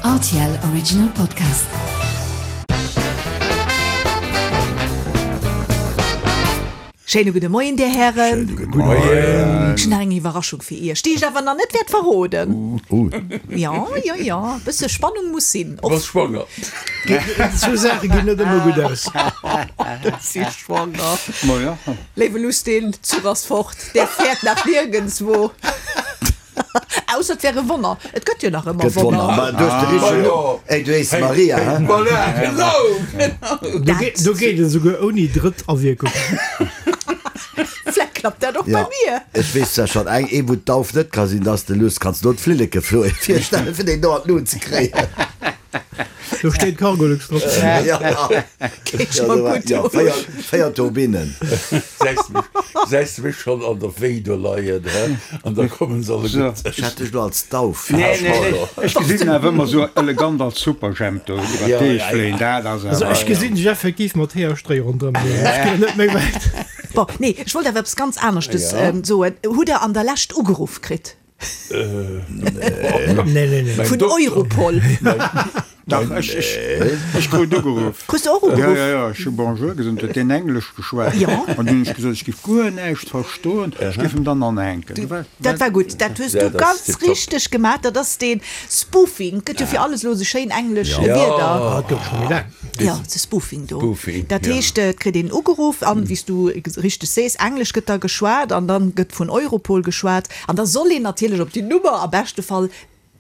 Rtl Original Podcast. Schéine gudde Moien, Dir Hären. Schéine gudde Moien. Ech hunn nach eng Iwwerraschung fir Iech, déi ech awer nach net wäert verroden. Jo, jo, jo, e bësse Spannung muss sinn. Du bass schwanger. Sou Saache ginn net ëmmer gutt aus. Ech si schwanger. Léiwe Luss, den Zuch ass fort, der fäert nach niergendswou. Ausser et wär e Wonner. Et gëtt jo nach ëmmer Gëtt Wonner. Wonner. Ma du hues de richtegen Numm. Ey, du hees Maria, hä? Voilà, genau, genau. Do geet, do geet et esouguer ouni Drëttawierkung. Vläicht klappt dat och bei Ja, mir. ech weess zwar schonn eng, ee wou d'Dauf net ka sinn, dass de Luss kanns lo d'Flilleke floe virstellen, fir deen do an d'Lut ze kréien. Do steet Cargolux drop. Ja, ja. Geet scho gutt Ja, un. 4, 4 Turbinen. Gesäis de mech, gesäis de mech schonn an der Wéi do leien, hä? An da kommen se alleguer. Ech hat dech lo als Dauf Nee, nee, nee. Ech gesinn en awer ëmmer sou elegant als Superjhemp do iwwer d'Deeg fléien. Dat ass Also awer. ech gesinn dech effektiv mat Hee a Stréi ronderëm. Ech ginn net méi wäit. Bon, nee, ech wollt awer eppes ganz aneschtes soen. Hutt der an der Lescht ugeruff kritt? Nee, nee, nee. Vun Europol. Dach, ech, ech, ech krut ugeruff. Krus de och ugeruff? Ja, ja, ja, ech hu Bonjour gesot, huet deen Englesch geschwat. Jo. An dunn hunn ech gesot, ech géif guer näischt verstoen, ech géif em dann anhänken. Du war, Dat war gutt, dat hues du ganz richteg gemaach. Dat ass dee Spoofing. Gëtt jo fir alles elo esou schéin englesch Wierder. Ah, dat gouf scho méi laang. Jo, de Spoofing do. Spoofing, Dat ja. heescht, et kritt een ugeruff an, wéi s du richteg sees, Englesch gëtt da geschwat an dann gëtt vun Europol geschwat. An da soll een natierlech op déi Nummer am beschte Fall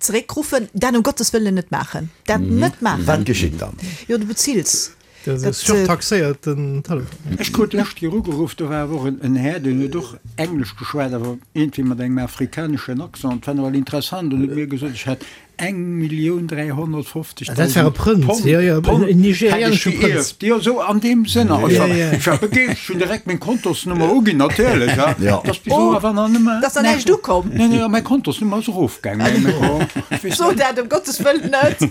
zeréckruffen. Dat um Gottes Wëllen net maachen. Dat net maachen. Wat geschitt dann? Jo, du bezills. Dat ass e surtaxéierten Telefon. Ech krut d'lescht Kéier ugeruff, do war awer och en Här, deen huet och Englesch geschwat, awer iergendwéi mat engem afrikaneschen Accent. Dat war nawell interessant. An huet mir gesot, ech hätt Eng Millioun 350.000 Dat war e Prënz, Pond, jo, jo, Pond en nigerianesche hätt ech Prënz. geierft. Jo, esou an deem Sënn. Ech war, ech war begeeschtert, ech hunn direkt meng Kontosnummer uginn, natierlech, ja. Ja. Dat ass bis elo awer nach nëmme. Dass da näischt ukomm. Nee, nee, mäi Kontosnummer ass erofgaangen. Mä bon, ech weess So net. dat, ëm Gottes Wëllen net.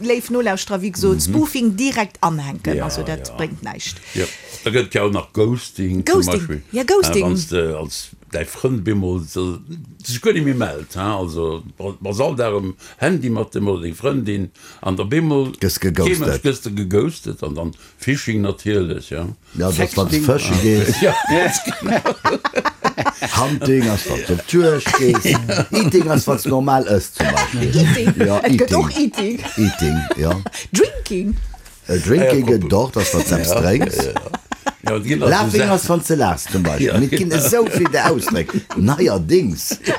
Léif Nolauschterer, wéi gesot, Spoofing direkt anhänken, Ja, also dat ja. bréngt näischt. Jo, da gëtt et jo och nach Ghosting zum Ghosting, Beispill, ja, Ghosting. wann s de als däi Frënd bemol sech guer net méi mellt, hein, also bass all Dag um Handy mat em oder deng Frëndin an da bemol Gëss geghostet. Gëss de geghostet an dann Phishing natierlech, ja. Ja, dat ass wann s de fësche gees. Ja, ganz genau. Hunting ass wann s de op d'Juegd gees. Eating ass wann s normal ëss zum Beispill. Eating, Ja, et gëtt och Eating. Eating. Eating, ja. Drinking. Drinking gëtt et och, dat ass wann s de eppes drénks. Laughing ass wann s de laachs zum Beispill. Mee et ginn esou vill där Ausdréck neierdéngs. Et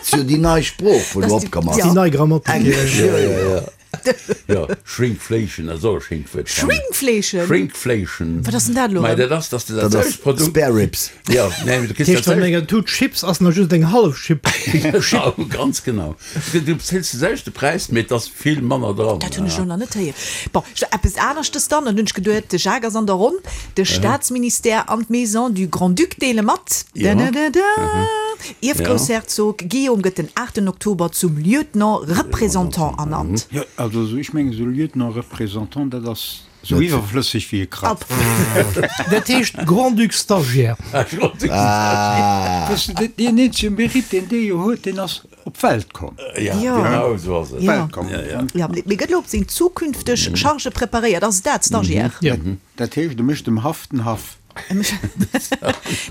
ass jo déi nei Sprooch, wou elo opkomm ass. Déi nei Grammatik. Englesch, jo, jo. Jo, Shrinkflation ass och e schéint Wuert. Shrinkflation? Shrinkflation. Wat ass denn dat elo Mei, erëm? dat ass, dass de dat Dat ass selwecht Produkt. Spare Ribs. Jo, nee, mee du kriss Dat heescht, dat an selwecht. enger Tut Chips ass nach just eng hallef Chip. Genau, ganz genau. Du bezills de selwechte Präis, mee et ass vill manner dran. Dat hunn ech elo nach net héieren. Bon, eppes aneschtes dann, an hunn ech geduet, de Jacques ass an der Ronn, de Staatsministère an d'Maison du Grand-Duc deele mat, dadadada, Ierfgroussherzog Guillaume gëtt den aachten Oktober zum Lieutenant représentant ernannt. Jo, also ech mengen esou Lieutenant représentant, dat ass Sou iwwerflësseg wéi e Krapp. Dat heescht Grand-Duc Stagiaire. Wësst de, deen eenzege Mérite, deen dee jo huet, deen ass op d'Welt komm. Ja, genau esou ass et. Welt komm. Jo, mee gëtt elo op seng zukünfteg Charge preparéiert. Ass et dat, Stagiaire? Jo. Dat heescht, e mécht dem Haff den Haff.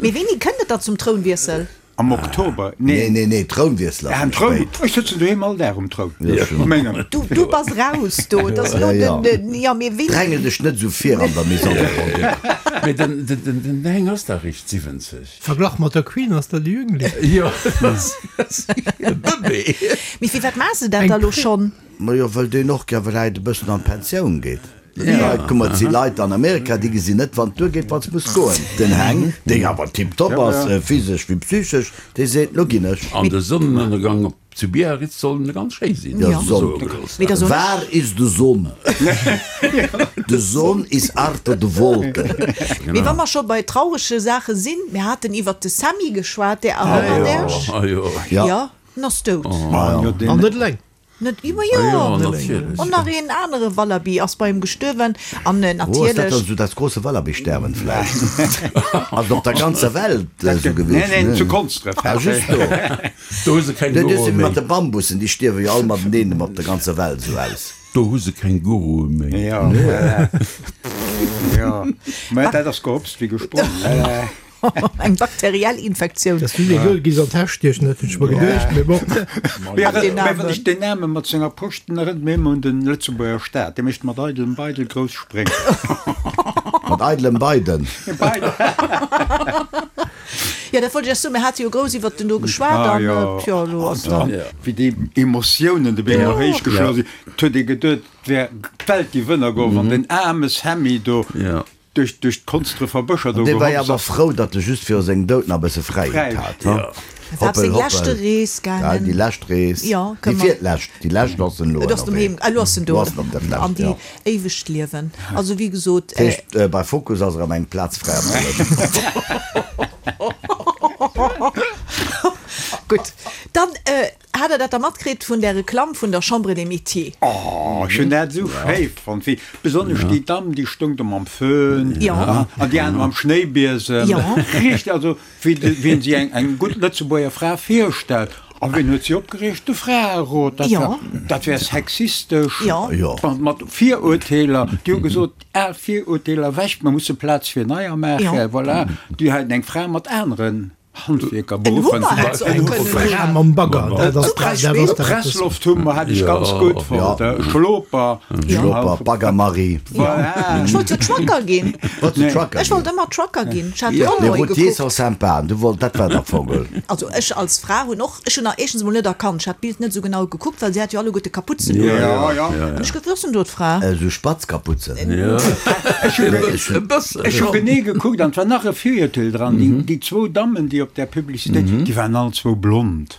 Mee wéini kënnt et da zum Trounwiessel? Am Oktober? Nee, nee, nee, Trounwiessel ass méi spéit. Ech sëtzen doheem all Dag um Troun. Du, du bass raus do. Et ass elo den, den, jo, mee wéini? Drängel dech net esou vir an der Maison de Grand-Duc. Mee den, den, den, den Heng ass dach eréischt 70. Verglach mat der Queen ass dat e Jüngling. Jo, dat ass e Bëbee. Mee firwat maache se dat da elo schonn? Majo, wëll deen och gär vläit e bëssen an d'Pensioun geet. Ja, kuck mol, et si Leit an Amerika, déi gesinn net, wann et duergeet, wann se muss goen. Den Heng, deen awer tiptop ass, physesch wéi psychesch, dee seet, Lo ginn ech. An de Sonnenënnergang op zu Biarritz soll ganz schéi sinn, Ja, Sonn. Waar is de Sonn? De Sonn is achter de Wolken. Mee wa mer scho bei traurege Saache sinn, mir haten iwwert de Sammy geschwat, där erënnert Iech? Ah jo. Jo, en ass dout. An net eleng. Net iwwer, jo. Jo, natierlech. Och nach een anere Wallaby ass bei em gestuerwen. An Oh, ass dat natierlech. dann esou dat große Wallaby-Sterben vläicht? Ass et op der ganzer Welt esou gewiescht? Nee, nee, zu Konsdref. Ah, just do. Do hu se keng Dat ass Gurue ewéi mat méi. de Bambussen, déi stierwe jo all mateneen op der ganzer Welt esou aus. Do hu se keng Gurue méi. Jo, voilà. Jo, mä dat ass gehopst wéi gesprongen. Eng bakteriell Infektioun. Dass du dee Goal giss an d'Täsch stiechen, dat hunn ech mer geduecht, mee bon. Mä wann ech deen Name mat senger Posch, den erënnert mir ëmmer un den Lëtzebuerger Staat, dee mécht mat eidelem Beidel grouss Spréng. Mat eidelem Beiden. Beidel. Jo, dat wollt ech iech soen, mir hate jo grouss iwwert den do geschwat an jo, elo ass dann. Wéi déi Emotiounen de Been héich geschloen sinn, 't huet ee geduet, 't wär d'Welt géif ënnergoen, wann den aarme Sammy do Duerch duerch d'Konsdrefer Bëscher do Dee war jo gehopst awer ass. frou, datt e just viru sengem Doud nach e bësse Fräiheet hat, ha? E war op seng leschte Rees Ja, gaangen. déi lescht Rees. Jo, Déi kënne mer. virlescht, déi lescht ass en elo Et ass ënnerwee. doheem, elo ass en do. Elo ass en op der Fläch, An déi jo. éiwegt Liewen. Also wéi gesot. Dat heescht, bei Focus ass erëm eng Plaz fräi am Liewen. Gutt, dann Hat der dat da matkritt vun där Reklamm vun der Chambre des Métiers? Oh, ech hunn dat esou schéi fonnt, wéi besonnesch déi Damm, déi stoung do mam Föhn an déi aner mam Schnéibiesem. Richteg, also wéi wéi een sech eng gutt Lëtzebuerger Fra virstellt. A wien huet si opgereegt? De Fraerot. Dat war, dat wär sexistesch, mat Virurteeler. Déi hu gesot, al Virurteeler ewech, mer musse Plaz fir neier maachen. Voilà, déi haten eng Fra mat aneren. Handwierker beruffen. Mam Bagger, dat ass dat ass Presslofthummer hat ech ganz gutt fonnt. Schloper. Schloper, Bagger Marie. Voilà. Ech wollt jo Trucker ginn. Wollts du Trucker ginn? Ech wollt ëmmer Trucker ginn. Ech hat Les Conroy routiers gekuckt. sont sympas. Du wollt, dat war der Vogel. Also ech als Fra hunn och, ech hunn nach éischtens emol net erkannt, ech hat d'Bild net esou genau gekuckt, well si hat jo alleguerte Kaputzen un. Ja, ja. An ech gesot, wou ass denn do d'Fra? Esou spatz Kaputzen. Ech hunn Ech hu genee gekuckt an et war nach e Virurteel dran, déi zwou Dammen, déi op där Publicitéit, déi waren all zwou blond.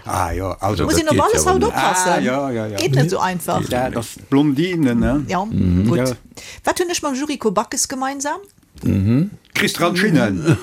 Ah jo, also. Muss een op alles haut oppassen. Ah jo, jo, jo. Geet net esou einfach. Dat ass d'Blondinen, ne? Jo, gutt. Wat hunn ech mam Yuriko Backes gemeinsam? Kriss dran Schinnen.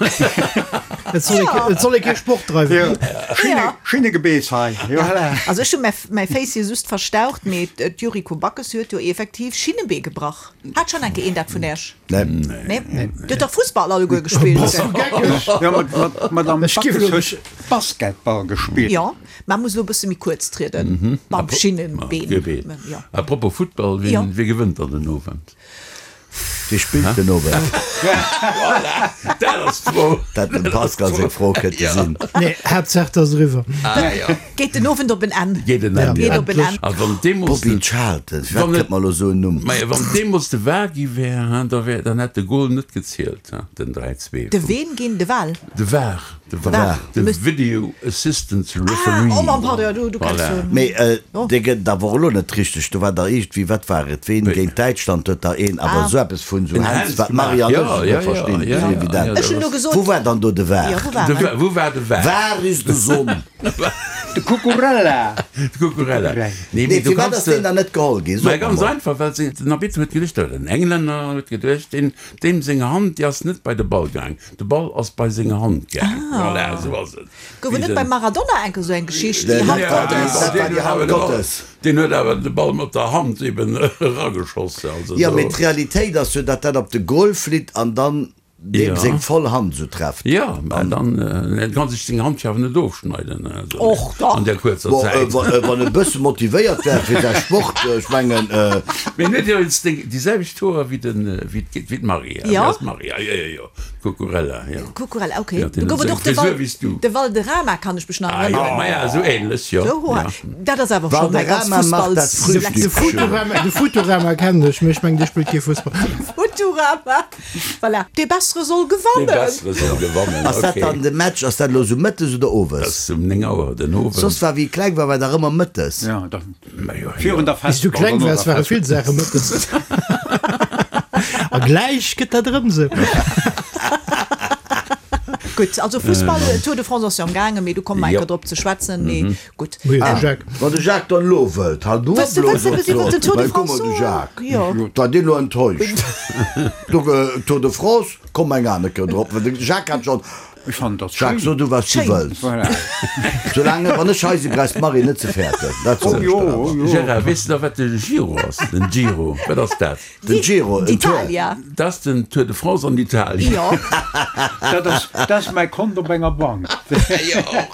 Et soll ee, et soll ee kee Sport dreiwen. Schinne, Schinnegebeess hei. Jo, voilà. Also ech hu mäi, mäi Féissie just verstaucht, mee d'Yuriko Backes huet jo effektiv Schinnebee gebrach. Hat schonn eng Kéier een dat vun Äech? Nee. Nee? Dir hutt dach Fussball alleguer gespillt. Bass du geckeg? Jo, mat, mat, d'Madame Ech giff Backes elo huet Basketball gespillt. Jo, mä muss elo e bësse méi kuerz trieden mam Schinnebeen. Jo. A propos Futtball, wien, wie gewënnt dann den Owend? Wie spillt den Owend? Voilà, dat ass d'Fro. Dat dem Pascal seng Fro kënnt Ja. sinn. Nee, Haaptsaach et ass eriwwer. Ah, ja. Geet den Owend op en Enn. Geet en Enn, Geet ja. op en Enn. A wann deemools Bobby den, Charlton, firwat wann et, kënnt mer elo esou en Numm? maja, wann deemools de var gi wär, hein, da wär, dann hätt de Goal net gezielt, hein, den 3, 2 De vum. ween ginn? De Wal? De var, de var, Var. de Video Assistant Referee. Ah, oh mon pardon, du, du kenns Voilà. jo. Mee dee gëtt et awer och elo net richteg. Do war der iergendwéi, wat war et, ween géint Däitschland huet da een awer esou eppes vun esou En Händs, Händs wat gemaach. d'Marie an Ja, ech ja, net ja, verstinn, ja, ass ja, evident. ja, Ech hunn elo gesot. Wou war dann do de var? Ja, wou war De en? Var, wou war de var? Var is de Sonn. De Cucurella. De Cucurella. Nee, Nee, mee du firwat kanns ass deen de. dann net geholl ginn? Mä Sot mer ganz mol. einfach, well se, den Arbitter huet geduecht, oder den Englänner huet geduecht, deen, deem seng Hand, déi ass net bei de Ball gaang. De Ball ass bei seng Hand gaang. Voilà, esou ass et. Gouf et net beim Maradona enke sou eng Geschicht, déi Hand Gottes? Dat war déi Hand Gottes. Deen huet awer de Ball mat der Hand eben erageschoss. Also Jo, mee d'Realitéit ass jo, datt dat op de Goal flitt an dann deem seng voll Hand esou trefft. Jo, mä dann, en kann sech seng Hand jo awer net ofschneiden Och dach. an där kuerzer Bon, Zäit. wann e bësse motivéiert wär fir säi Sport, ech mengen. Mee en huet jo jetzt déi selwecht Hoer wéi den, wéi d'Maria. Jo. Wéi ass d'Maria? Jo, jo, jo. Cucurella, jo. Cucurella, ok. Ja, Do gouf et och de Val, de Valderrama, kann ech mech nach Ah, jo, erënneren. maja, esou ähnlech, jo. Sou hoer. Ja. Dat ass awer scho mäi ganz Valderrama macht dat Fussballs. De Frühstück schön. Futurama, de Futurama kennen ech, mee ech mengen, dee spillt kee Fussball. Futurama, voilà. Dee Bessere soll Dee gewannen. Bessere soll gewannen, Ass dat ok. dann de Match, ass dat elo sou mëttes oder Dat owes? ass um 9 Auer den Owend. Soss war, wéi ech kleng war, war dach ëmmer mëttes. Ja, da, Majo, virun jo. der Wéi s du Festball, kleng no waars, der ware vill Festball. Saache mëttes. A gläich gëtt dat erëm sou. Gutt, also Fussball, Tour de France ass jo am gaangen, mee do komme mer Jo. enker drop ze schwätzen, mee gutt. Moie de Jacques. Wann de Jacques dann elo wëllt, halt du op Wëlls du elo, wëlls du sot eppes iwwer den Tour de Well, guck France mol, de soen? Jacques, Jo. war deen elo enttäuscht. Do, Tour de France, komm eng aner Kéier drop, well de Jacques hat schonn. Ech fannen dat Jacques, schéin. so du wat s du Schéin. wëlls. Voilà. Soulaang, wann ech hei sinn, brauchs d'Marie net ze fäerten. Dat Oh soen ech jo, der oh awer. jo. Gérard, weess de nach wat de Giro ass? Den Giro, wat ass dat? Den Giro, en Tour. D'Italia. Dat ass den Tour de France an Italien. Jo. Dat ass, dat ass mäi Kont op enger Bank.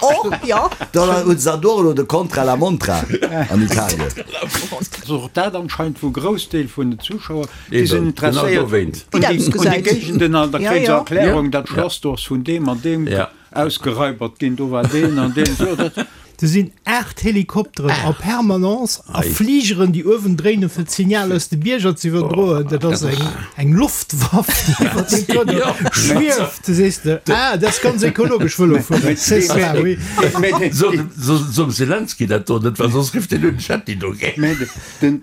Och, jo. Dann hunn se dann do elo de Contra la Montra an Italien. Ass och dat anscheinend wou Groussdeel vun den Zuschauer, déi sinn Eben, genau interesséiert dowéint. un Wéi dat déi, un déi ausgesäit. Géigenden an da Ja, kréie se ja. Erklärung, dat Ja. Schlass do ass vun deem an deem Ja. ausgeraibert ginn, do war deen an deen, sou dat. Do sinn 8 Helikopteren a Permanence a Fligeren, déi uewen dréinen, fir d'Signal aus de Bierger ze iwwerdroen. Dat ass eng, eng Loftwaff, déi iwwer den Tour do schwieft. Du sees de, ah, dat ass ganz ekologesch, Vëlo fueren, c'est ça, oui. Sot dem Zelensky dat do net, well soss rifft en un, Chatti dogéint. Mä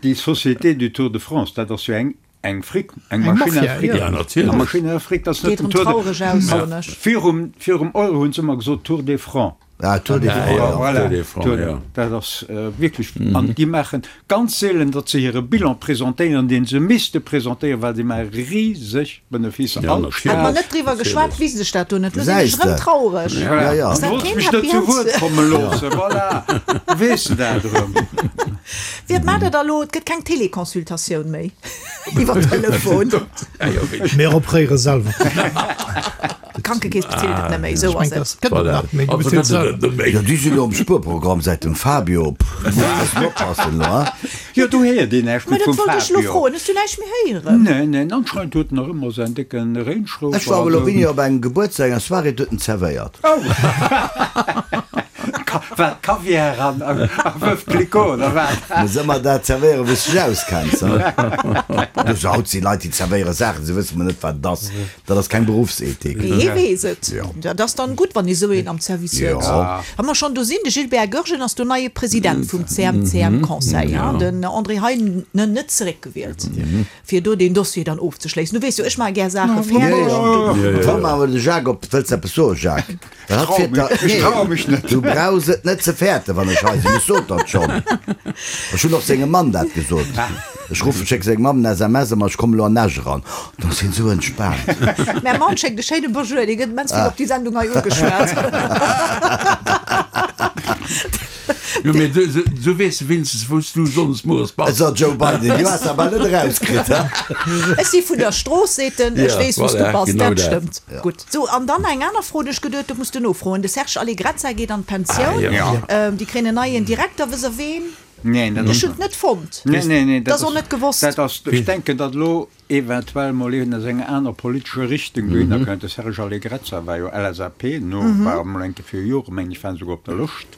déi Société du Tour de France, dat ass jo eng Eng Frick, eng Eng Maschinn à Mafia, Frick. ja. Ja, natierlech. Eng Maschinn à Frick, dat ass net Geet den erëm Tour de. traureg aus, soen ech. Virum, virum Euro hunn se ëmmer gesot Tour des Francs. Ah, Tour des Francs, ja. Voilà, Tour des Francs, Tour, ja. dat ass wierklech. An déi maachen ganz seelen, datt se hire Bilan presentéieren, deen se misste presentéieren, well déi maache riseg Beneficer. Ja, All natierlech. Hätt mer Stad. net driwwer geschwat, wisst ech dat do net. Lo sinn ech Gesäis erëm de. traureg. Ja, ja. Ass Du dat wollts keen mech net Happy zu End? Wuert komme loossen, voilà, weess de dat erëm. Wiert maacht der da lo? Et gëtt keng Téléconsultatioun méi iwwer Telefon. Mir opréiere selwer. D'Krankekeess bezilt et net méi, esou ass et. Gëtt et nach méi, du bezilt selwer. Jo, déi sinn elo am Spuerprogramm säit dem Fabio. Pff, muss e bëssen oppassen elo, hein. Jo, do héiert een näischt Mä méi dat vum wollt ech elo Fabio. froen. Hues du näischt méi héieren? Neen, neen, anscheinend huet en nach ëmmer säin décke Range Rover. Ech war elo wéini op engem Gebuertsdag, enger Soirée, do huet en zerwéiert. Oh! Wat, Kaviar an a Veuve Clicquot, oder wat? Muss ëmmer dat zerwéieren, wou s de dech auskenns, hein. Du, sou haut si Leit, déi zerwéiere Saachen, se wësse mol net, wat et ass. Dat ass keng Beruffsethik. Hee weess et. Jo. Dat ass dann gutt, wann ee sou een am Service huet. Jo. Wa mer schonn do sinn, de Gilbert Goergen ass do neie President vum CMCM-Conseil, hein, den André Heinen net zeréckgewielt, fir do deen Dossier dann ofzeschléissen. Du weess jo, ech maache gär Saache fäerdeg. Jo, jo. Komm, awer de Jacques op. Wëlls eppes soen, Jacques? Ech traue mech net. Du brauchs et net ze fäerten, wann ech hei sinn. Ech sot dat schonn. Ech hunn och sengem Mann dat gesot. Ech ruffen, schéck sengem Mamm en SMS, ëmmer, ech kommen elo an Esch eran. Da ass hien esou entspaant. Mäi Mann schéckt e schéine Bonjour, dee gëtt immens vill op déi Sendung hei ugeschwat. Jo, mee du weess wéinstens, wou s du sonndes mueres bass. Esou, Joe Biden, du has awer net erauskritt, he? Ech si vun der Strooss, seet en, ech weess, wou s du voilà, bass. genau Dat dat. stëmmt. Gutt. Sou, an dann eng aner Fro, déi ech geduet, do muss de nofroen. De Serge Allegrezza geet an d'Pensioun. Ah, ja. Déi kréien en neien Direkter. Wëss der ween? Neen, dat Ech ass. hunn et net fonnt. Neen, neen, neen, Dat ass och net gewosst. Dat ass, ech denken, datt elo eventuell mol een aus enger aner politescher Richtung dohinner kënnt. De Serge Allegrezza war jo LSAP, no war emol eng Kéier fir Jore, mengen ech, war en souguer op der Lëscht.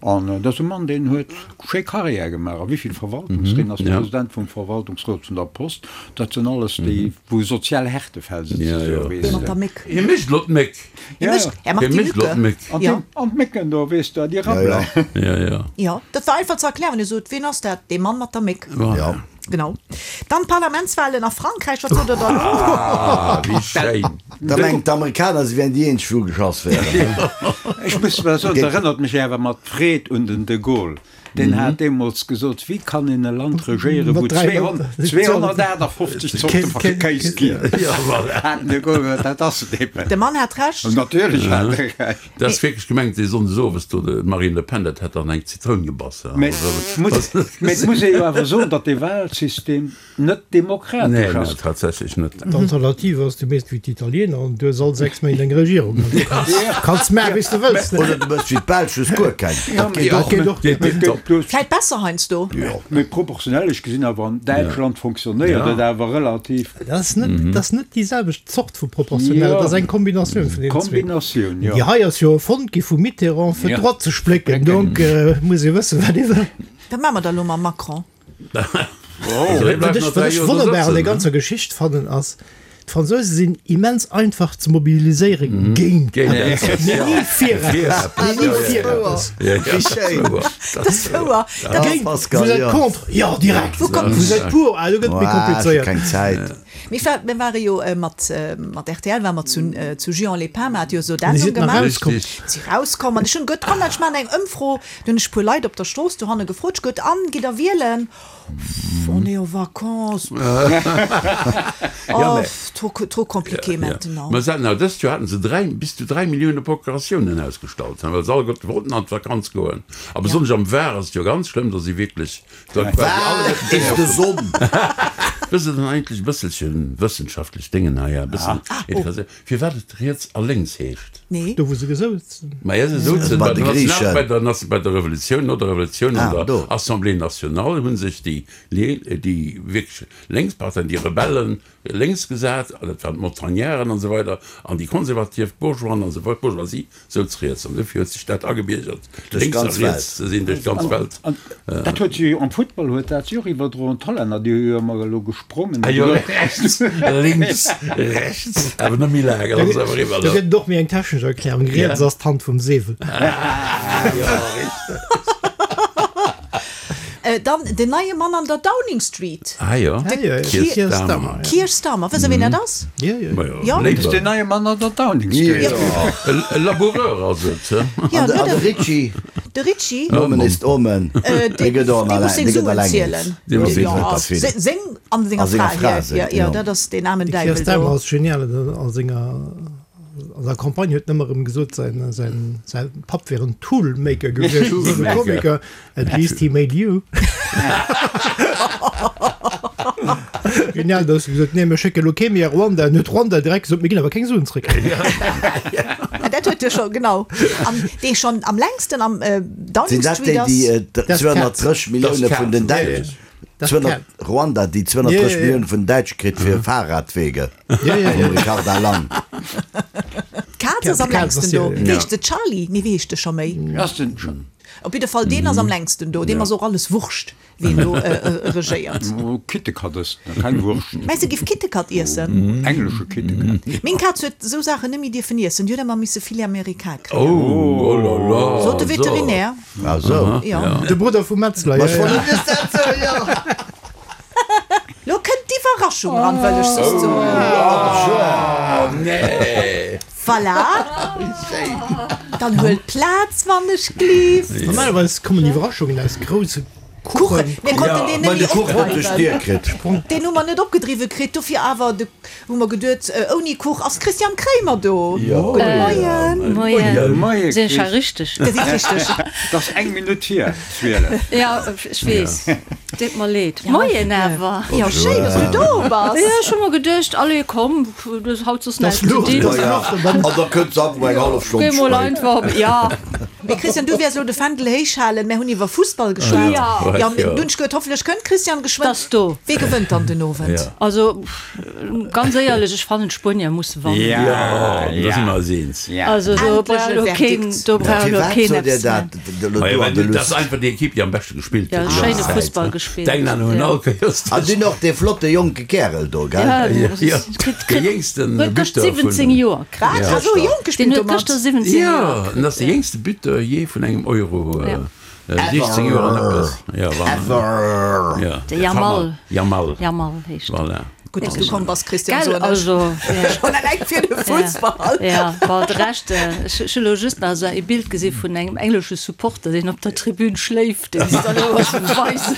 An dat ass e Mann, deen huet schéi Carrière gemaach a wéi vill Verwaltungsréit, ass President vum Verwaltungsrot vun der Post. Dat sinn alles déi, wou sozial Härtefäll souzesoen, weess Dee mat de. der Méck. Hie mécht elo d'Méck. Hie mécht, er macht Hie die mécht elo Mücke. d'Méck. An Ja. déi, an d'Mécken do, weess de, déi rabbelen. Ja, ja. Jo, dat war einfach ze erklären, wann ee sot, Ween ass dat? Dee Mann mat der Méck. Voilà. Genau. Dann d'Parlamentswahlen a Frankräich, wat sot der da elo? Ah, wéi schéin. Da mengen d'Amerikaner, se wären déi eenzeg, wou geschoss wären. Ech muss awer soen, dat erënnert mech awer mat Freed un den de Gaulle. Deen hat deemools gesot, Wéi kann een e Land regéieren, wou 258 Zorte vu Kéis ginn? Hat den de Gaulle gesot, dat ass et eben. De Mann hat Recht. Natierlech hat e Recht. Dat ass wierklech gemengt, dee Sonndes owes do, d'Marine Le Pen, dat hätt dann eng Zitroun gebass. Mä et muss ee jo awer soen, datt dee Wahlsystem net demokratesch Nee, ass. nee, tatsächlech net. D'Alternativ ass, du méchs wéi d'Italiener an du hues all 6 Méint eng Regierung. An du kanns, kanns maache wéi s de wëlls. Oder du méchs wéi d'Belsch, hues guer keng. Dat geet Dat och. geet och. Geet tiptop. Vläit besser heiansdo. Jo. Mee proportionell, ech gesinn awer an Däitschland fonctionnéiert et awer relativ. Dat ass net, dat ass net déi selwecht Zort vu proportionell, dat ass eng Kombinatioun vun deenen zwee. Kombinatioun, jo. Déi hei ass jo erfonnt gi vum Mitterrand fir d'Droite ze splécken, donc muss ee wëssen, wat ee wëll. Wat maache mer da elo mam Macron? Wat ech, wat ech wonnerbar an der ganzer Geschicht fannen ass, d'Fransouse sinn immens einfach ze mobiliséiere géint eppes, mee ni fir eppes, mee ni fir eppes. Wéi schéin. Dat ass wouer. Dat Géint, Pascal, vous êtes jo. contre, jo direkt, vous êtes pour, ah do gëtt et méi Ech hu komplizéiert. keng Zäit. Mir war, mir ware jo mat, mat rtl ware mer zu, zu Juan-les-Pins, mer hat jo esou Mir d'Endung sinn nach gemaach. rauskomm. Si rauskomm an ech hunn guet, komm ech maachen eng Ëmfro. Du hunn ech puer Leit op der Strooss dohanne gefrot, ech guet, an, gitt der wielen? Pff, on est en vacances, pff. Oh, pff. trop, trop compliqué maintenant. Mä se haten awer dëst Joer haten se 3, bis zu 3 Millioune Procuratiounen ausgestallt, well se alleguerte wollten an d'Vakanz goen. A besonnesch am Var ass et jo ganz schlëmm, do si wierklech da quasi Var alleguerten is de Sonn. Wësst Der dann eigentlech e bësselche wëssenschaftlech Déngen hei, e bëssen interesséiert, firwat et riets a lénks heescht? Nee. Do wou se gesouzen. Maja, se souzen Bei bei de der Griechen. bei der bei der Revolutioun, no der Revolutioun an Ah, der do. Assemblée nationale hu sech déi déi wierklech lénks Parteien, déi Rebellen lénks gesat, an dat waren d'Montagnarden an esou weider, an déi konservativ Bourgeoisen an esou weider, d'Bourgeoisie souz riets. An dofir huet sech dat agebiergert, Duerch lénks a d'ganz riets Welt. ze sinn, duerch d'ganz Welt. An dat huet sech jo am Futtball huet dat sech och iwwerdroen, d'Hollänner, déi hu jo ëmmer elo gesprongen. Ah jo, rechts, lénks, rechts, awer net méi laang, dann ass et awer eriwwer. Do gëtt et och méi eng technesch Erklärung, Riets ass d'Hand vum Sewel. Ah jo, richteg. Dann den neie Mann an der Downing Street. Ah jo, Keir Starmer. Keir Starmer, wësst Der wien dat ass? Jo, jo. Ma jo, Jo. Labour. Den neie Mann an der Downing Street. E Laboureur ass et, he? Ja, An de, ne, an de de Ritchie, de Ritchie. Nomen ist Omen, dee gëtt och Dee muss alleng, seng dee gëtt Suen alleng eens. zielen. Dee muss seng Jo, Suen zielen. se- seng an senger A senger Fra, Fra ja, seng, ja, ja, jo. dat ass deen aarmen De Keir Däiwel do. Starmer ass genial a senger An der Campagne huet en ëmmer erëm gesot, säin, säin, säin Papp wär en Toolmaker gewiescht, esou e Komiker. At least he made you. Genial, da hues du gesot, nee, mir schécke lo kee méi a Ruanda. An huet Ruanda direkt gesot, mir ginn awer keng Suen zréck. Ah, dat huet e scho, genau. An dee schonn am längsten am Downing Sinn dat Street déi, ass. déi 230 Millioune vun den Däitschen, Ruanda, déi 230 Millioune vun den Däitsche kritt fir Fahrradwege? Vum Ricarda Lang. D'Kaz ass am längsten do. Wéi heescht se? Charlie? Nee, wéi heescht de scho méi? Op jidde Fall, deen ass am längsten do. Deem ass och alles Wurscht, wien do regéiert. Kittekat ësst en, keng Wurscht. Mengs de, giff Kittekat iessen? Englesche Kittekat. Meng Kaz huet esou Saachen net méi dierfen iessen. Déi huet ëmmer misse Filet américain kréien. Oh, oh là là. Sot de Veterinär. Ah sou. Jo. De Brudder vum Metzler, Ma ech wollt net just dat soen, jo. Lo kënnt d'Iwwerraschung ran, wëll ech soss soen. Oh nee! Voilà! Dann huelt Plaz, wann ech glift. Normalerweis kommen Iwwerraschungen aus grousse Kuchen. Mir konnten deen Mä net de méi Kuch huet duerch d'Dier opdreiwen. kritt. Deen hu mer net opgedriwwe kritt. Dofir awer de hu mer geduet, ouni Kuch ass d'Christiane Kremer do. Gudde Moien. Moien. Moie Sinn ech hei Chris. richteg? Dir sidd richteg. Et ass eng Minutt hier 12. Ja, ech weess. Deet mer leed. Moien awer. Jo, schéin, dass du do bass. Jo, ech hu mer geduecht, allez komm, du hues haut soss näischt ze dinn. An da kënnt se einfach eng hallef Stonn Géi mol spéit. einfach, ja. Mee Christian, du wäers elo de Fändel héich halen. Mär hunn iwwer Fussball geschwat. Ja. Jo, mee dunn ech gehuet, hoffentlech kënnt d'Christiane geschwënn. T'ass do. Wee gewënnt dann den Owend? Also, Ganz éierlech, ech fannen d'Spuenier musse wannen. Jo, do si mer eis eens. Also do brauch elo keen, do brauch elo Firwat keen sot Dir eppes dat elo Majo, do an well der dat ass Lust? einfach déi Ekipp, déi am beschte gespillt Ja, huet déi schéine ganz Zäit. Fussball gespillt. D'Engländer hunn all Kéiers An dunn och dee flotte jonke Kärel do, gell? Ja, Jo, kritt, de kritt, jéngsten huet gëschter Buteur vun 17 Joer Wat? kritt. Hat esou jonk Deen gespillt huet domat? gëschter 17 Jo, Joer en ass kritt. de jéngste Buteur jee vun engem Euro. Ja. 16 Joer an eppes. Ja, voilà. Ever! Ja. De Yamal. Yamal. Yamal heescht en. Voilà. Gutt, dass du komm bass, Christian, Gell, soen ech. also, ja. Schonn eleng fir de Fussball. Ja, bon, de Rescht, ech hu lo just nach esou e Bild gesi vun engem englesche Supporter, deen op der Tribün schléift, deen se dann elo weisen.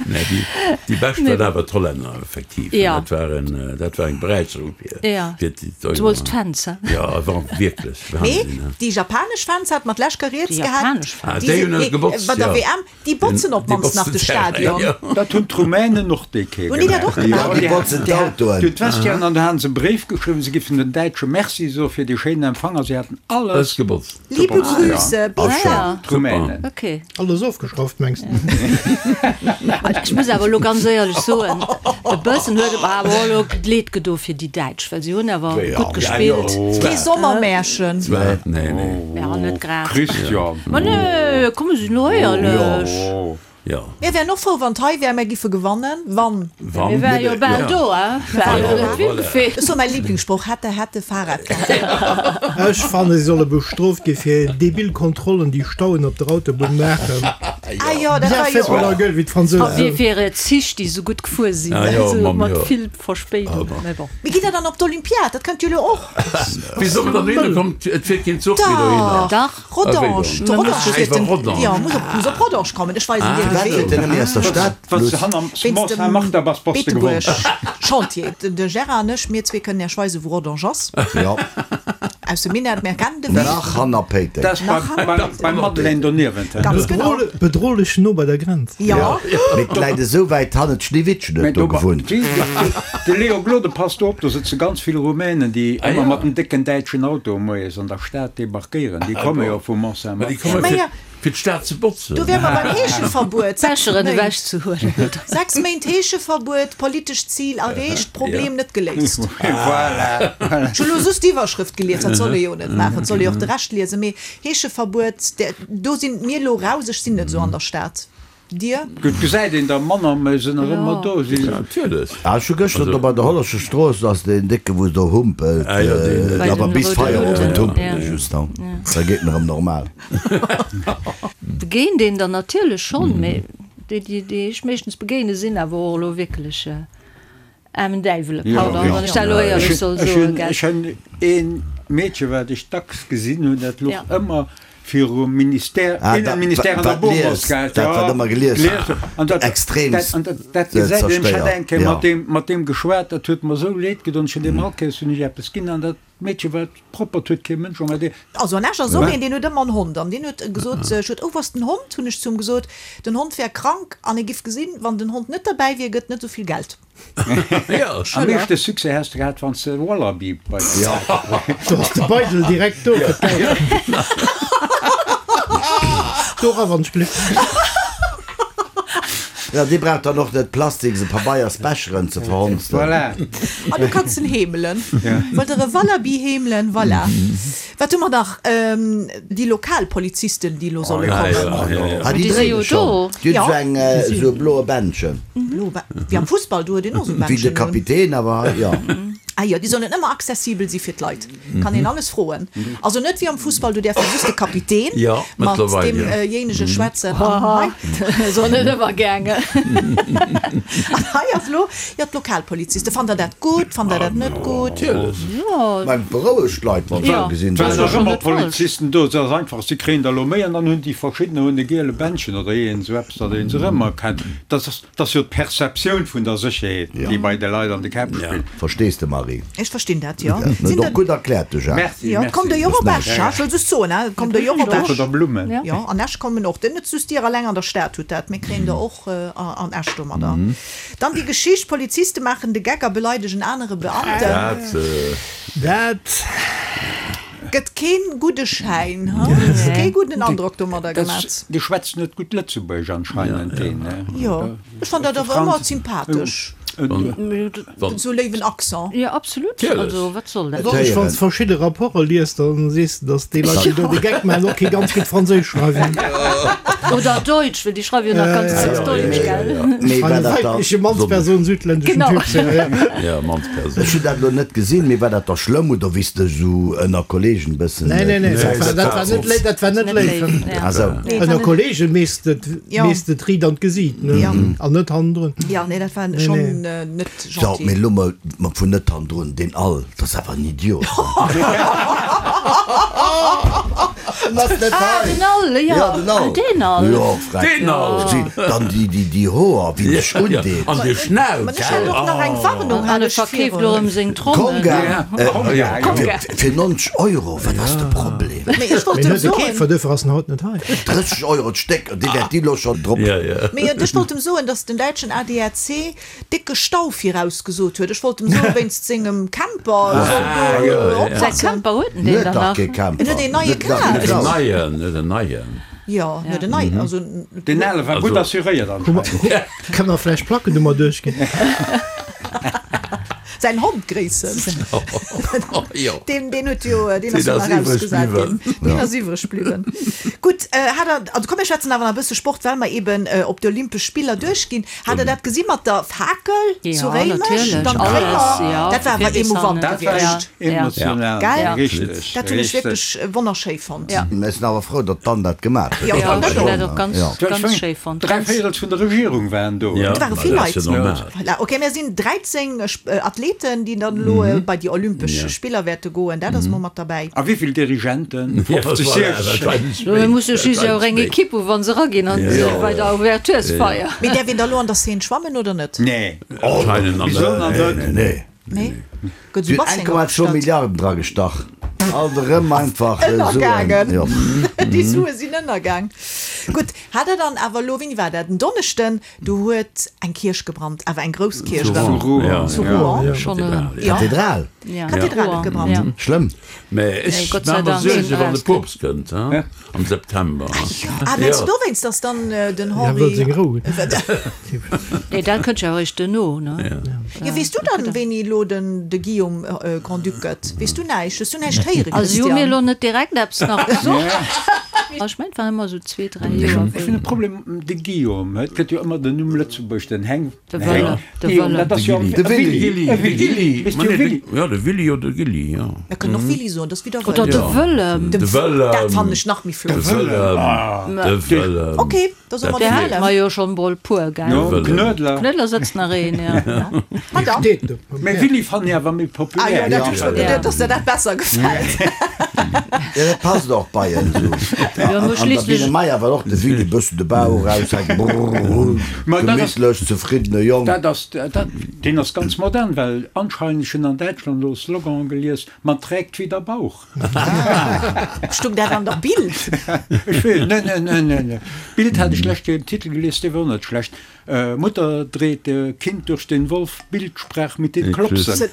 Nee, déi, déi bescht waren awer d'Hollänner, effektiv. Ja. Dat war en, dat war eng Beräicherung fir, Ja. fir d'Euro. Zemools d'Fans, he? Ja, war wierklech Mee Wahnsinn, he. déi japanesch Fans hat mat lech Rieds Déi gehat. japanesch Fans. Ah, déi hunn et gebotzt, Bei der ja. WM, déi botzen op Déi d'mannst nach botzen de d'Terrain, Stadion. ja. Dat hunn d'Rumänen och déi Kéier Hunn déi dat och gemaach. gemaach? Ja, déi botzen d'Autoen. Déi hunn d'Vestiairen an do hate se e Bréif geschriwwen, se giffen den Däitsche Merci soe fir dee schéinen Empfang a se haten alles Alles gebotzt. Liebe Grüße, bis dann. D'Rumänen. Okay. Alles ofgeschrauft mengs de? Ech muss awer elo ganz éierlech soen, e bëssen huet et mer awer och elo leed gedo fir déi Däitsch, well si hunn awer gutt gespillt. Kee Sommermärchen. Nee, nee. Ja, net grad. Christian. Ma nee, komm mir sinn elo éierlech. Jo. Mir wären och frou wann d'hei wär, mär giffe gewannen, wann. Wann. Mir wäre jo bal do, hein? Ech soe mäi Lieblingssproch, hätte, hätte, Fahrradkette. Ech fannen, si solle bestrooft gi fir debil Kontrollen, déi Stauen op der Autobunn maachen. Ah jo, dat war jo. Bien fait pour leur gueule, wéi d'Fransousen soen. A fir Zich, déi esou gutt gefuer sinn, also mat vill Verspéidung, mä bon. Mee gitt Der dann op d'Olympiad? Dat kënnt jo elo och. Wéi soll mer dann dohinner kommen? Et fiert keen Zuch méi dohinner. Dach. Rodange, de Rodange fiert den, jo, muss op, muss op Rodange kommen. Ech weisen dir de Firwat fiert Wee. en net méi aus der Stad? Wéinst dem Beetebuerg Chantier. De Gérard an ech, mir zwee kënnen Iech weisen, wou Rodange ass. Jo. Aus dem Minett, mir kennen de Wee. Nach hanner Péiteng. Dat ass beim Madeleine doniewent. Ganz genau. Bedrohlech no bei der Grenz. Jo. Mee et läit esou wäit hannen, d'Schneewittchen huet do gewunnt. De Léon Gloden passt do op, do sëtze ganz vill Rumänen, déi ëmmer mat dem décken däitschen Auto moies an der Stad debarquéieren. Déi komme jo vu Mont-Saint-Martin. Fir d'Stad ze botzen. Do wäre mer beim Heescheverbuet. D'Becheren ewech ze huelen, oder? 6 Méint Heescheverbuet, politescht Zil erreecht, Problem net geléist. Voilà. Ech hu lo just d'Iwwerschrëft gelies, dat soll ee jo net maachen, et soll ee och de Rescht liesen, mee Heescheverbuet, do sinn mir elo raus, ech sinn net esou an der Stad. Dir? Et gesäit een der manner, mä se nach ëmmer do sinn. Natierlech. Ah, ech hu gëschter do bei der Hollerscher Strooss ass deen décke wou do humpelt, awer bis Feierowend humpelt e just dann, da geet en erëm normal. Begéint een der natierlech schonn, mä déi déi ech meeschtens begéine sinn awer och elo wierklech aarmen Däiwele, pardon, wann ech dat elo éierlech soll soen, gell. Ech hunn ee Meedche wat ech dacks gesinn hunn, dat louch ëmmer virum Ministère, Innenministère an der Bourg-Moskau. Dat wat ëmmer gelies An dat, extremst an dat, dat gesäit een, ech hat eng Kéier mat deem, mat deem geschwat, dat huet mer esou leed gedoen, ech hunn deem all Kéiers hunn ech eppes ginn an dat Meedche war proppert, huet kee Mënsch emmerdéiert. Also an Esch ass och een, deen huet ëmmer en Hond an deen huet gesot, ech huet, oh wou ass den Hond, hunn ech zu him gesot, den Hond wär krank an e giff gesinn, wann den Hond net derbäi wier, gëtt net esou vill Geld. Am meeschte Succès häss de gehat, wann s de e Wallaby bei der Säit Do ass de Beidel direkt do fir d'Geld. Do era wann ech Gléck. Jo, dee brauch dann och net plastiks a pabeiers Becheren ze verhonzen. Voilà. An du kanns en heemelen. Wëllt der e Wallaby heemelen? Voilà. Wat hu mer nach? Déi lokal Polizisten, déi elo solle kommen. Ah, déi dréine schonn. Déi hunn esou eng, esou e bloe Bändchen. Bloe Bä-, wéi am Fussball, do huet een och esou Wéi de Bändchen un. Kapitän, awer jo. Ah jo, déi sollen ëmmer accessibel si fir d'Leit. Kann een alles froen. Also net wéi am Fussball, do däerf jo just de Kapitän mat deemjéinege schwätzen. An hei. Ass och net ëmmer gaangen. An hei ass elo, jo, d'Lokalpolizisten. Fannt Der dat gutt? Fannt Der dat net gutt? Natierlech. Jo. Mä berouegt d'Leit, wann se gesinn, Et waren nach ëmmer Polizisten do. Et ass einfach, si kréien der elo méi an dann hunn déi verschiddener hunn e giele Bändchen oder iergend esou eppes, datt ee se erëmerkennt. Dat ass, dat ass jo d'Perceptioun vun der Sécherheet, déi bei de Leit an de Käpp spillt. Verstees de, Marie? Ech verstinn dat, jo. Dat huet och gutt erkläert, de Jacques. Merci, Jo, et kommt der jo och op Esch, ha? Ech wëll just soen, ha, et kommt der jo och op Esch. Oder Blummen. Jo, an Esch kommen och. Net just dir alleng an der Stad hutt dat, mir kréien der och an Esch domadder. Dann déi Geschicht, Poliziste maachen de Geck a beleidegen anere Beamten. Dat. Dat. Gëtt keen gudde Schäin, ha? Kee gudden Androck domadder gemat. Dee schwätzt net gutt Lëtzebuergesch anscheinend, deen. Jo, ech fann dat awer ëmmer sympathesch. Esou léiwen Accent. Jo, absolut. Also, wat soll dat? Besonnesch wann s de verschidde Rapporte liest, da sees de, datt déi Leit, déi do de Geck maachen, och kee ganz gutt Franséisch schreiwen. Oder Deutsch, well déi schreiwe jo nach ganz dacks Deutsch, gell? Mee war dat da. Weibleche Mannsperson, südländeschen Genau. Typ. Jo, Mannsperson. Ech hunn dat elo net gesinn, mee war dat da schlëmm oder wéi s de esou ënner Kollegen e bëssen. Nee, nee, nee, dat war, dat war net léif, dat war net léif. Ah sou. Ënner Kollegen mees de, mees de d'Riit an d'Gesiit, ne? An net hannendrun. Jo, nee, dat war schonn net So, gentil. mee elo mol vun net hannendrun, deen all, dat ass awer en Idiot. En ass net Ah, hei. den All, jo. Ja, den All. Ah, deen All. Jo, freck. Deen All. Si, dann déi, déi, déi Hoer, wéi en sech undeet. An de Schnauz. Mä ech hat och nach eng Warnung, An hat e ech verkeeft elo virun. erëm seng Trommen. Konga, Konga, fir, fir 90 Euro, wat ass de Problem? Mee ech wollt Mee em huet e soen. Keefer, duerfir ass en haut net hei. 30 Euro d'Stéck, dee wäert déi elo schonn drop. Ja, ja. Mee ech wollt em soen, datt den däitschen ADAC décke Stau virausgesot huet. Ech wollt em soen, wéinst sengem Camper, e soll do Säi oppassen. Camper huet en deen Huet dann dach nach? kee Camper. En huet een neie Huet dach kaf. En neien, huet en neien. Jo, en huet en neien, also. Deen ale war gutt assuréiert anscheinend. Kënne mer vläicht d'Plackennummer duerchginn? Säin Hond gréissen. Deen, deen huet jo, deen ass jo nach erausgesat ginn. Deen ass iwwreg bliwwen. Gutt, hat der, also komm mir schwätzen awer nach e bësse Sport, well mer eben op d'Olympesch Spiller duerchginn. Hat der dat gesi mat der Fakel zu Réimech? Dann d'Réimer, dat war awer emouvant gewiescht. Emotional, Gell? Richteg. Dat hunn ech wierklech wonnerschéi fonnt. Mir sinn awer frou, datt d'Anne dat gemaach huet. Jo, ech hunn dat och ganz, ganz schéi fonnt. Dräi Véirels vun der Regierung waren do. Et ware vill Leit. Voilà, ok, mir sinn 13 Athleten, déi dann elo bei déi Olympesch Spiller wäerte goen. Dat ass mol mat derbäi. A wéi vill Dirigenten? 50, 60? Mir musse just jo och eng Ekipp hu wa se eraginn an bei der Ouverturesfeier. Mee däerf een da elo an der Seine schwammen oder net? Nee. Wieso net? Nee. Nee? Gëtt esou Basseng 1,2 opgestallt? Milliarden dra gestach. Alt erëm einfach Suen. Ënnergaangen. Jo. Déi Sue sinn ënnergaang. Gutt, hat der dann awer elo, wéini war dat, en Donneschden, do huet eng Kierch gebrannt, awer eng grouss Kierch. Zu Rouen. Zu Rouen. Schonn erëm. Ja. Kathedral. Kathedral huet gebrannt. Schlëmm. Mä ech Gott sei maache mer Dank Suerge sinn wann de eraus. Poopst kënnt, hein, am September. Ah, mengst du dowéinst, dass dann den Ja, Henri. wëll seng Rou hunn. Nee, dat kënnt jo eréischt duerno, ne? Jo, weess du dann, wéini elo den de Guillaume Grand-Duc gëtt? Weess du näischt? Hues du näischt héieren, Also si hu mir Christian? elo net direkt eppes nach gesot. Ech mengen, et waren ëmmer esou zwee, dräi Joer. Ech hunn e Problem, de Guillaume, et gëtt jo ëmmer den Numm Lëtzebuerg, den Heng. De Wëlle, de Wëlle. Dat ass jo De Willy. Gilly. E Willy. De Gilly. Weess du, Willy. Jo, de Willy oder de Gilly, jo. Mir kënnen och Willy soen, dat ass wéi der Oder wëllt. de Wëllem. De Wëllem. Dat fannen ech nach méi flott. De Wëllem. De Wëllem. Ok, da soe mer de Där hate Wëllem. mer jo schonn mol puer, gell? Jo, Knuedler. Knuedler sëtzt nach een, jo. Ma dann. Steet do. Mä Willy fannen ech awer méi Ah jo, populär. dat hunn ech scho geduet, dass der dat besser gefält. Jo, dat passt och bei en esou. Jo, An mo der schliisslech. Biene Meier war och de Willy bëssen de Bauch eraushänken, brrr, Ma dat ass. gemittlech, zefriddene Jong. Dat ass, dat, deen ass ganz modern, well anscheinend, ech hunn an Däitschland elo e Slogan gelies, Man trägt wie der Bauch. Stung dat an der Bild? Ech weess, ne, ne, ne, ne, ne. Bild hat ech d'lescht Kéier en Titel gelies, dee wor net schlecht, Mutter dreht Kind durch den Wolf, Bild sprach mit den Klopsen.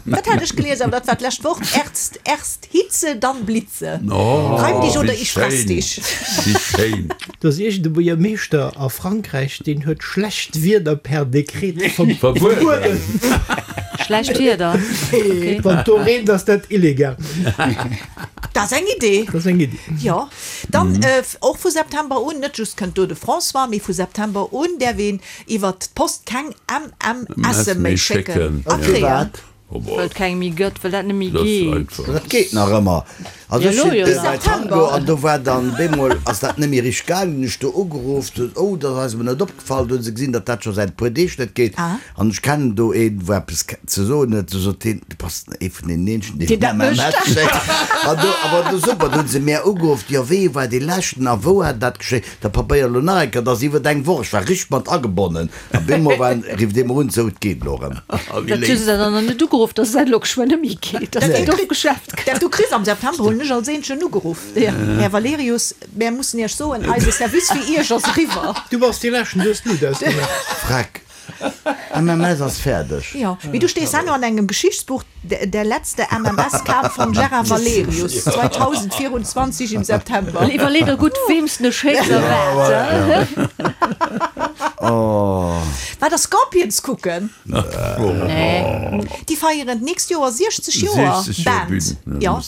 Dat hat ech gelies, awer dat war d'lescht Woch. Erst, erst Hitze, dann Blitze. Oh, Reim dich oder wéi ich fress schéin. dich. Wéi schéin. Do ass iergend e Buergermeeschter a Frankräich, deen huet schlecht Wieder per Dekret verbueden. Schlecht Wieder, okay. Wann do reent, ass dat illegal. Dat ass eng Idee. Dat ass eng Idee. Jo. Dann och vu September un, net just kënnt do de François, mee vu September un däerf een iwwert d'Post keng MMSe méi schécken a kréien. Well et keng méi gëtt, well dat net méi geet. Dat geet nach ëmmer. Also ech sinn bei Tango an do war dann bemol ass dat net méi richteg gaangen, hunn ech do ugeruff, sot oh dat ass eis emol net opgefall, do hu se gesinn, datt dat scho säit e puer Deeg net geet an ech kennen do een, wou eppes ze soen huet, du sot hien, du bass ee vun deenen eenzegen, deen dat mécht. An do, awer do super, do hu se mär ugeruff, jo wéi war dee leschten a wou hat dat geschéien, da probéier elo nach eng Kéier, dat ass iwwert eng Woch, ech war richteg mat agebonnen a bemol war, rifft ee mer un, sou et geet elo erëm. Dat hu se der dann nach net ugeruff, dass dat elo geschwënn net méi geet, dass dat ofgeschaaft gëtt. Dat du kriss am September hunn ech als eenzegen ugeruff, Här Valerius, mär mussen Iech soen, eise Service fir Iech ass eriwwer. Du bass dee leschten, du hues d'Lut ausgemaach. Freck. MMS ass fäerdeg. Jo, mee du stees herno an engem Geschichtsbuch, Der letzte MMS kam von Gérard Valerius, 2024 im September. Iwwerlee der gutt, weem s de schécks a wat. War der Scorpions kucken? Nee. Déi feieren d'nächst Joer 60 Joer Band. Jo,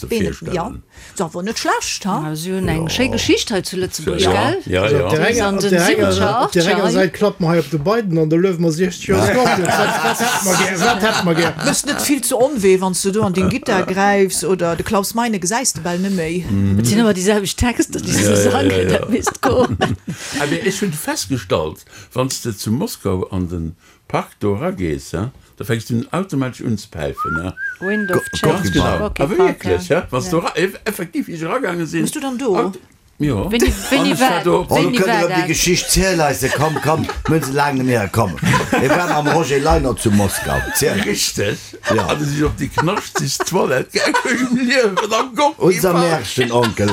jo. Ass awer net schlecht, ha? Si hunn eng schéi Geschicht hei zu Lëtzebuerg, gell? Ja, ja. Op där enger Säit klappe mer hei op de Biden an da luewe mer 60 Joer Scorpions. Wat hätte mer gär? Wat hätte mer gär? Méchs net vill zu Onwee, wann s de do an deng Gittar gräifs oder de Klaus Meine gesäis de bal net méi. Et sinn ëmmer déi selwecht Texter, déi se sangen, dat misst goen. Mee ech hunn festgestallt, wann s de zu Moskau an de Park do eragees, da fänks du automatesch un ze päifen. Wind of Change, Ganz genau. Gorky Awer Park, wierklech, ja. wann s du era, effektiv, wéi ech eragaange sinn. Bass du dann do? Jo. Wéini, wéini An ech war war, do. Oh, lo wéini kënnt war erëm déi dat? Geschicht, ziel eis se, komm, komm, mir hunn se laang net méi héieren, komm. Mir waren mam Roger Leinert zu Moskau, ziel. Richteg. Ja. An du si op déi knaschteg Toilette gaangen, im Liewen am Gorky Unser Park. Märchenonkel.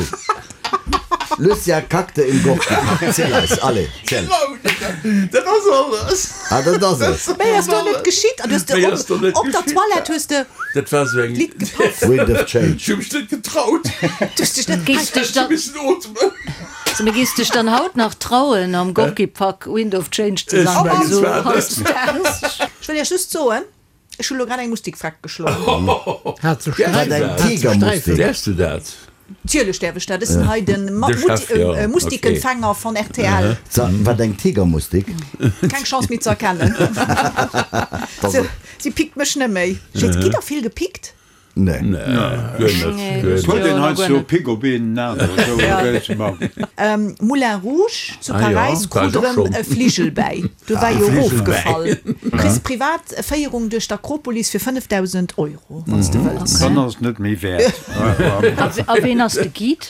Lucia kackte im Gorky-Park. Ziel eis, allez, ziel. Genau, dat ass alles. Ah, dat ass et. Méi ass do net geschitt. An du hues de Méi ass do net op der geschitt. Toilette hues de Dat war sou eng. d'Lidd gepaff. Wind of Change. Ech hu mech net getraut. Du hues dech net. Géifs dech Ech hu dann, missen ootmen. so, mee géifs dech dann haut nach trauen, am Gorky-Park Wind of Change ze Ech sangen, mengen esou zwar net. hautdesdaags? Ech wëll iech just soen. Ech hu lo grad eng Mustik freck geschloen. Hat se Sträifen? Wat eng Tigermustik? Däerfs du dat? Tierlech däerf ech dat. Ech sinn hei den Mustikenfänger von rtl. Wat eng Tigermustik? Keng Chance méi ze erkennen. Si pickt mech neméi. Gitt der vill gepickt? Nee. Nee, guer net, guer net. Huet een heiansdo e Pick op een aneren esou wéi ze man. Moulin Rouge zu Ah jo, Paräis war krut ech och erëm schonn. e Fligel bäi. Do war E jo Fligel bäi. erofgefall. Kriss privat Féierung duerch d'Akropolis fir 5.000 Euro, wann s de wëlls. Dann ass et net méi wäert. A ween ass de Guide?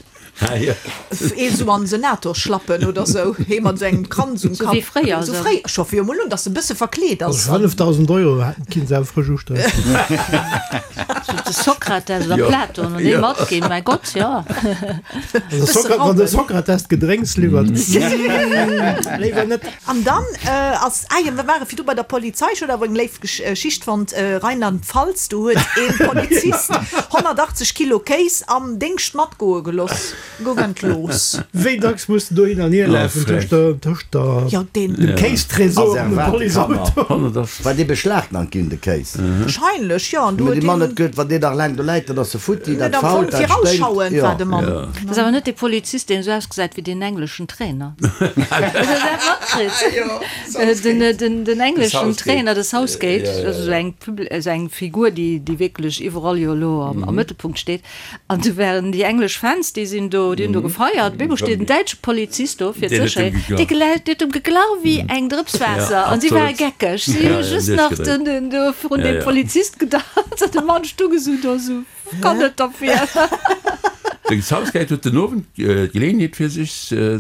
Ee sou an Senatorschlappen oder sou, hee mat sou engem Kranz um Sou wéi Kapp. fréier, Sou sou. fréier, ech hoffe jo mol un, dass e bësse verkleet ass. Also 5.000 Euro hätten kinne se awer frësch usträichen. Sou de Sokrates oder Jo. Platon, wann déi Jo. matginn, mäi Gott, jo. Also Sokra wann de Sokrates d'Gedrénks liwwert, léiwer net. An dann ass, ah jo, mir ware virdu bei der Polizei, ech hunn awer eng léif Geschicht fonnt, Rheinland-Pfalz, do huet ee Polizist 180 Kilo Kéis am Déngscht matgoe geloss, gouf entlooss. Wéi dacks muss de do hin an hier lafen tëscht der, tëscht der, Jo, deen. dem Kéistresor an dem Policeauto? War dee beschlagnahmt ginn, de Kéis? Wahrscheinlech, jo. An do Mee huet de Mann deen. huet geduet, wann deen nach laang do läit, dann ass e futti, Net dat am Fong fault, dat sténkt. virausschauend war de Mann. Dat ass awer net dee Polizist, deen esou ausgesäit wéi deen engleschen Trainer. Hutt Der dat matkritt? Den, den, den engleschen Trainer, de Southgate, dat ass esou eng Publi, esou eng Figur, déi, déi wierklech iwwerall jo elo am, am Mëttelpunkt steet. An du waren déi englesch Fans, déi sinn do, déi hunn do gefeiert. Op eemol steet en däitsche Polizist do fir d'Sécherheet, dee geläit, dee huet em geglach wéi eng Drëps Waasser. An si ware geckeg. Si hu just nach den, den do virun deem Polizist gedanzt an de Mann stung esou do esou, kann net derfir. De Southgate huet den Owend d'Geleeënheet fir sech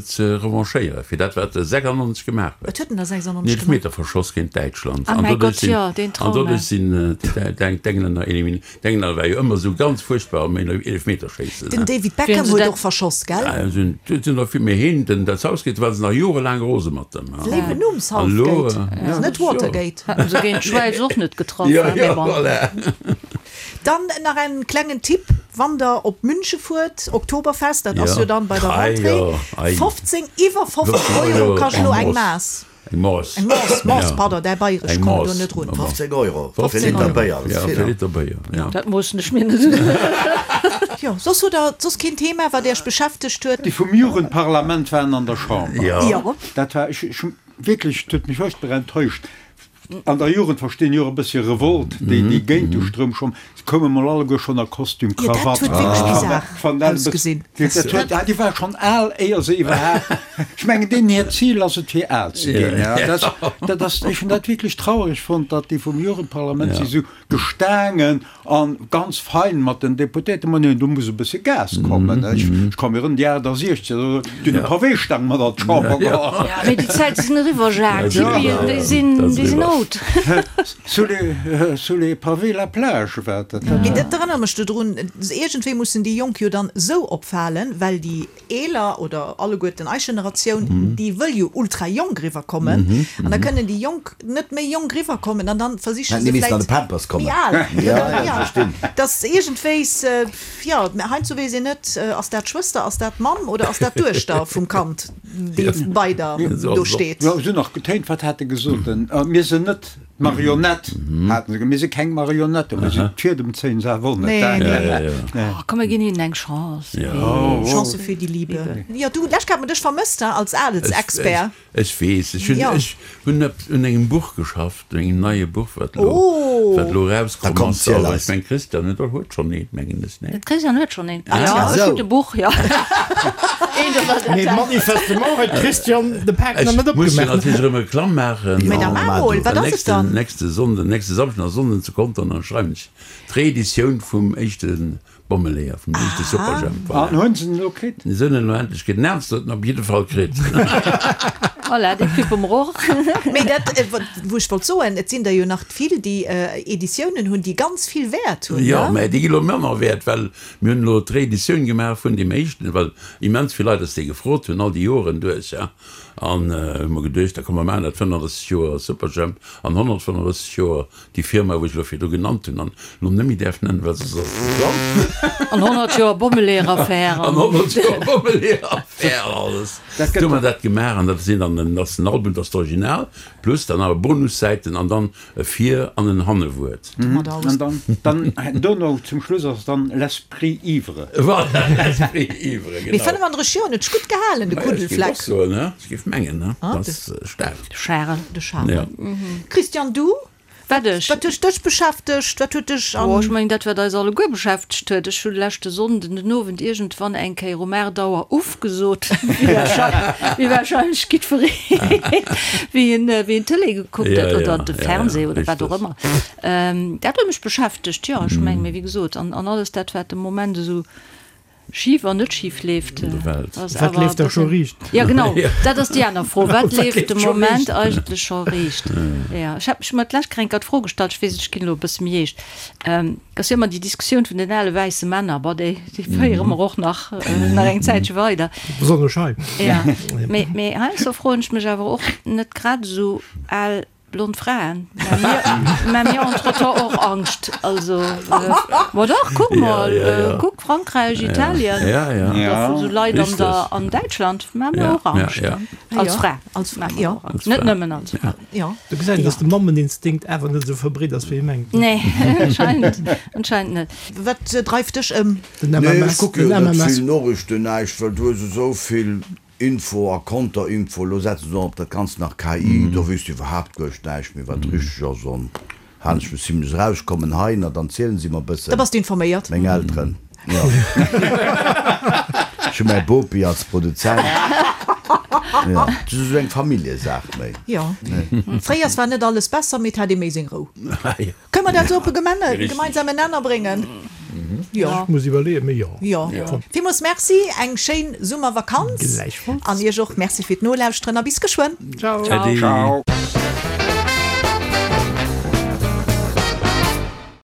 ze revanchéiere fir dat wat e 96 gemaach huet. Wat huet en da 96 gemaach? En Eelefmeter verschoss géint Däitschland. Ah mäi Gott, jo, deen An doduerch Trauma. sinn d'Englänner eliminéiert. D'Engländer war jo ëmmer esou ganz fuerchtbar am Eelefmeterschéissen. Den David Beckham huet och verschoss, gell? Ja, sinn sinn der vill méi heen. Den dat Southgate war se nach jorelaang rose mat dem. Léiwen Numm, Southgate, ass net Watergate. Haten se géint d'Schwäiz och net getraff, Ja, mee ja, bon. voilà. Dann nach en klengen Tipp, wann der op Münche fuert, Oktoberfest, dat ass jo dann bei der Rentrée, 15, iwwer 15 Euro kascht elo eng Maass. Eng Mass. Eng Mass, Mass, pardon, däi Bayresch, Eng komm do Mass. net run. 15 Euro fir Liter Béier, dat ass vill. Fir Liter Béier, ja. Dat moossen ech mir net un. Jo, soss hutt der soss keen Thema, wat Iech beschäftegt huet? Déi vum Jugendparlament waren an der Chamber. Jo. Dat war, ech, ech hunn wierklech, et huet mech furchtbar enttäuscht. An der Jugend verstinn jo och e bëssche Revolt, déi, déi géint de Stroum schwammen. Se koume mol alleguer schonn a Kostüm, Jo, dat Krawatt. huet wierklech bizar Ech fannen dat e bëssen, ausgesinn. dat huet, ah, déi war schonn al, éier se iwwerhaapt, ech mengen, deenen hiert Zil ass et, fir al ze ginn. Ja, dat, dat ass, ech hunn dat wierklech trauereg fonnt, datt déi vum Jugendparlament si sou gestaangen an ganz fein mat den Deputéierten, ma neen, do muss e bësse Gas kommen. Ech ka mir erëm déi 68, do hunn e Paweestang mat an d'Chamber geholl. Ja, mee déi Zäite sinn eriwwer, Jacques. D'Hippien, déi sinn, déi sinn out. Sous les, sous les pavés la plage war dat. Mee dat erënnert mech dodrun, iergendwéi mussen déi Jonk jo dann esou opfalen, well déi Eeler oder alleguerten eis Generatioun, déi wëll jo ultra jonk riwwer kommen an da kënnen déi Jonk net méi jonk riwwer kommen an dann versiche se vläit méi al, jo, dass iergendwéis, jo, heiansdo weess een net, ass dat d'Schwëster, ass dat d'Mamm oder ass dat d'Duechter vum Kand, déi bei der do steet. Jo, se hunn nach getéint, wat hat e gesot, mir sinn net D'Marionett haten se, mir si keng Marionetten, mir sinn d'Fiedem zéien se awer och net. Nee, nee. Oh, komm mir ginn hinnen eng Chance. Chance für die Liebe. Jo, du, lech hat mer dech vermësst, hein, als Adelsexpert. Ech weess, ech hunn, ech hunn un engem Buch geschafft, un engem neie Buch, wat elo, wat elo erauskomm ass. Awer ech meng, Christian huet och, huet schonn eent, mengen ech, nee? De Christian huet schonn eent. Jo, ech hunn e Buch, jo. Mee manifestement huet d'Christiane de Pak nach net Ech muss jo opgemaach. natierlech erëm Reklamm maachen. Mee da maach mol, wat ass et dann? Nächste Sonnden, nächste Samschden a Sonnden zu Contern, dann schreiwen ech d'Reeditioun vum éischte Bommeleeër, vum éischte Superjhemp. An hunn se en elo kritt? Se hunn en elo endlech kritt. Den Ernst huet en op jidde Fall kritt. Voilà, dee kippe mer och. Mee dat, wou ech wollt soen, et sinn der jo nach vill, déi Editiounen hunn, déi ganz vill Wäert hunn, Jo, ne? mä déi gi lo manner wäert, well Mir hunn elo d'Reeditioun gemaach vun deem éischten, well immens vill Leit eis dee gefrot hunn, all déi Joren duerch, ja. An hu mer geduecht, da komm mer maachen dat 35 Joer Superjhemp an 135 Joer déi Firma, wou ech elo virdru genannt hunn an elo net méi däerf nennen, well soss ass et ze blann. An 100 Joer Bommeleeër-Affär. An 100 Joer Bommeleeër-Affär an alles. Du hu mer dat gemaach an dat sinn dann, dat ass den Album, dat ass d'Original, plus dann awer Bonussäiten an dann e Vir an en Hannewuert. An dann, dann dono zum Schluss ass dann l'esprit ivre. Voilà, l'esprit ivre, genau. Mee 35 Joer, en huet sech gutt gehalen, de Kuddelfleck. Ech géif och soen, he, ech géif mengen, he, dat ass staark. De Charel. De Charel. Christian, du? Wat ech? Wat huet dech beschäftegt? Wat huet dech an. Oh, ech mengen dat wat eis alleguer beschäftegt huet. Ech hu leschte Sonnden den Owend iergendwann eng Kéier um 8 Auer Uff gesot, wéi warscheinlech jiddweree wéi en wéi en Tëlee gekuckt huet oder de Fernseh oder wat och ëmmer. Dat huet mech beschäftegt, jo. Ech mengen, mee wéi gesot, an alles dat wat de Moment esou Schif an net schif leeft. Wat leeft da scho riicht? Ja genau, dat ass déi aner Fro. Wat leeft de Moment eigentlech scho riicht? Jo, ech hat mech ëmmer d'lescht Kéier d'Fro gestallt, ech weess net, ech ginn elo e bësse méi eescht, et ass jo ëmmer déi Diskussioun vun den ale wäisse Männer, bon, déi féiere mer och nach nach eng Zäitche weider. Besonnesch hei. Ja, mee mee heiansdo froen ech mech awer och, net grad esou al Blond Fraen, mä mir entretemps och Angscht. Also, ma dach, kuck mol, kuck Frankräich, Italien, da vu sou Leit an der, an Däitschland, mä mir och Angscht. Als Fra, als Fra, jo, net nëmmen als Fra, jo. Do gesäit een, dass de Mammeninstinkt awer net esou verbreet ass, wéi ee mengt. Nee, anscheinend, anscheinend net. Wat dreift dech ëm? Den Nee, ech MMS, kucke jo den net MMS. vill Noriichten, näischt, well du hues esou vill Info a Konterinfo, lo setzen se och op dat Ganzt nach KI, do weess du iwwerhaapt guercht näischt méi wat richteg ass an halen ech mech zimlech eraus, kommen hei na dann zielen si mer bëssen. Da bass de informéiert. Meng Elteren, jo. Ech hu mäi Bopi als Produzent, jo, dat ass esou eng Familljesaach méi. Jo, fréiers war net alles besser, mee et hat ee méi seng Rou. Kënne mer dat esou op e gemeinsamen Nenner bréngen? Jo. Ech muss iwwerleeën, mee jo. Jo. Villmools Merci, eng schéin Summervakanz. Gläichfalls. An Iech och Merci fir d'Nolauschteren a bis geschwënn. Ciao. Äddi. Ciao.